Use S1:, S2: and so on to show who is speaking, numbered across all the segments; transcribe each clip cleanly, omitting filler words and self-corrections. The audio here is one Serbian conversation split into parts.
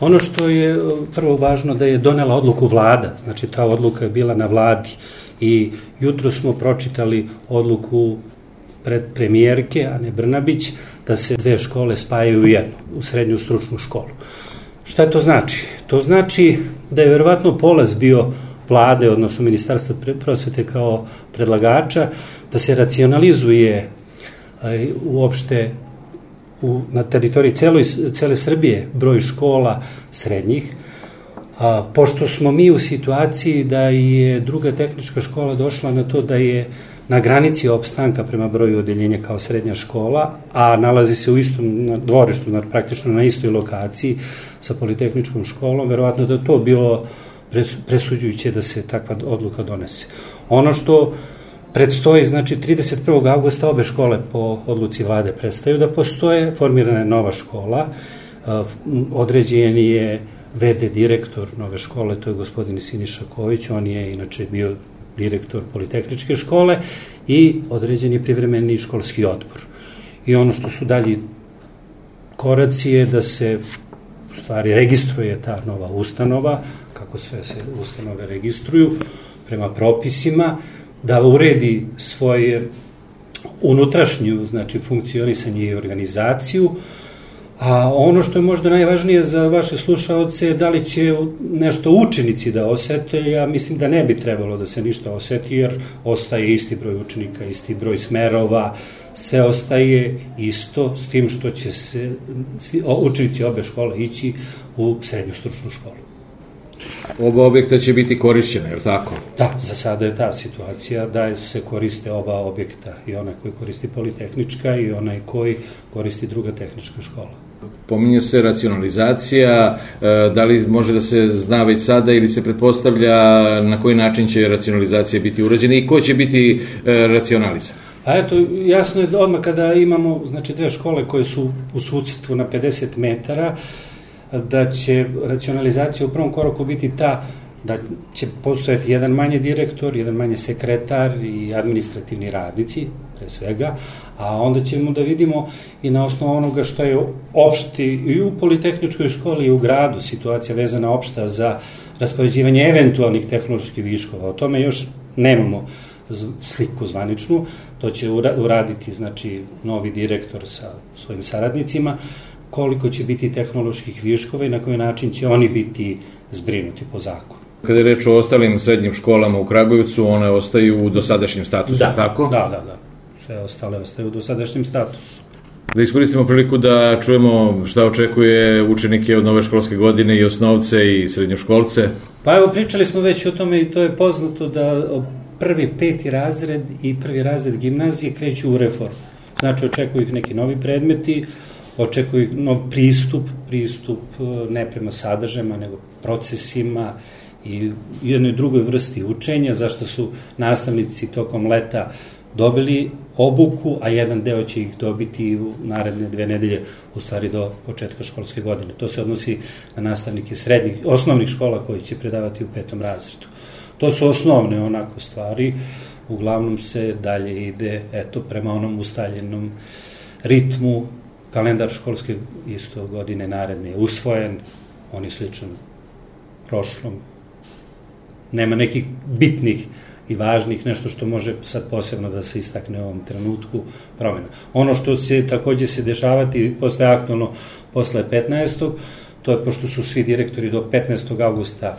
S1: Ono što je prvo važno da je donela odluku vlada, znači ta odluka je bila na vladi i jutro smo pročitali odluku pred premijerke, Ane Brnabić, da se 2 škole spajaju u jednu, u srednju stručnu školu. Šta to znači? To znači da je verovatno polaz bio vlade, odnosno Ministarstva prosvete kao predlagača, da se racionalizuje uopšte na teritoriji cele Srbije broj škola srednjih, pošto smo mi u situaciji da je druga tehnička škola došla na to da je na granici opstanka prema broju odeljenja kao srednja škola, a nalazi se u istom dvorištu, praktično na istoj lokaciji sa politehničkom školom, verovatno da je to bilo presuđujuće da se takva odluka donese. Ono što predstoji, znači 31. avgusta obe škole po odluci vlade prestaju da postoje, formirana je nova škola, određen je VD direktor nove škole, to je gospodin Siniša Kojić, on je inače bio direktor politehničke škole i određen je privremeni školski odbor. I ono što su dalji koraci je da se u stvari registruje ta nova ustanova, kako sve se ustanove registruju prema propisima, da uredi svoje unutrašnju, znači funkcionisanje i organizaciju, a ono što je možda najvažnije za vaše slušaoce je da li će nešto učenici da osete. Ja mislim da ne bi trebalo da se ništa oseti, jer ostaje isti broj učenika, isti broj smerova, sve ostaje isto, s tim što će se učenici obe škole ići u srednju stručnu školu.
S2: Oba objekta će biti korišćene, je li tako?
S1: Da, za sada je ta situacija da se koriste oba objekta, i onaj koji koristi politehnička i onaj koji koristi druga tehnička škola.
S2: Pominje se racionalizacija, da li može da se zna već sada ili se pretpostavlja na koji način će racionalizacija biti urađena i ko će biti racionalizan?
S1: Pa eto, jasno je da odmah kada imamo, znači, 2 škole koje su u susedstvu na 50 metara, da će racionalizacija u prvom koraku biti ta da će postojati jedan manje direktor, jedan manje sekretar i administrativni radnici, pre svega, a onda ćemo da vidimo i na osnovu onoga što je opšti i u politehničkoj školi i u gradu situacija vezana opšta za raspoređivanje eventualnih tehnoloških viškova. O tome još nemamo sliku zvaničnu, to će uraditi, znači, novi direktor sa svojim saradnicima, koliko će biti tehnoloških viškova i na koji način će oni biti zbrinuti po zakonu.
S2: Kada je reč o ostalim srednjim školama u Kragujevcu, one ostaju u dosadašnjem statusu, tako?
S1: Da. Sve ostale ostaju u dosadašnjem statusu.
S2: Da iskoristimo priliku da čujemo šta očekuje učenike od nove školske godine, i osnovce i srednjoškolce.
S1: Pa evo, pričali smo već o tome i to je poznato da prvi 5. razred i 1. razred gimnazije kreću u reformu. Znači, očekuju ih neki novi predmeti, očekuju ih nov pristup ne prema sadržajima, nego procesima i jednoj drugoj vrsti učenja, zašto su nastavnici tokom leta dobili obuku, a jedan deo će ih dobiti u naredne 2 nedelje, u stvari do početka školske godine. To se odnosi na nastavnike osnovnih škola koji će predavati u 5. razredu. To su osnovne onako stvari, uglavnom se dalje ide prema onom ustaljenom ritmu. Kalendar školske isto godine naredne je usvojen, on je sličan prošlom. Nema nekih bitnih i važnih, nešto što može sad posebno da se istakne u ovom trenutku promjena. Ono što se takođe se dešavati, postaje aktualno posle 15. to je pošto su svi direktori do 15. avgusta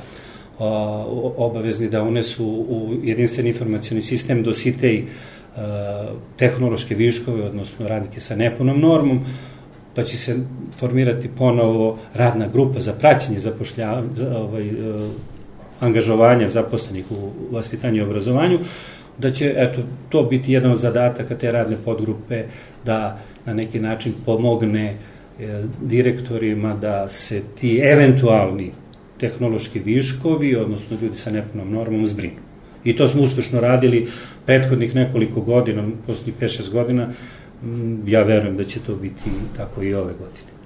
S1: obavezni da unesu u jedinstveni informacioni sistem dositej tehnološke viškove, odnosno radnike sa nepunom normom, pa će se formirati ponovo radna grupa za praćenje angažovanja zaposlenih u vaspitanju i obrazovanju, da će to biti jedan od zadataka te radne podgrupe, da na neki način pomogne direktorima da se ti eventualni tehnološki viškovi, odnosno ljudi sa nepunom normom, zbrinu. I to smo uspešno radili prethodnih nekoliko godina, poslednjih 5-6 godina, ja verujem da će to biti tako i ove godine.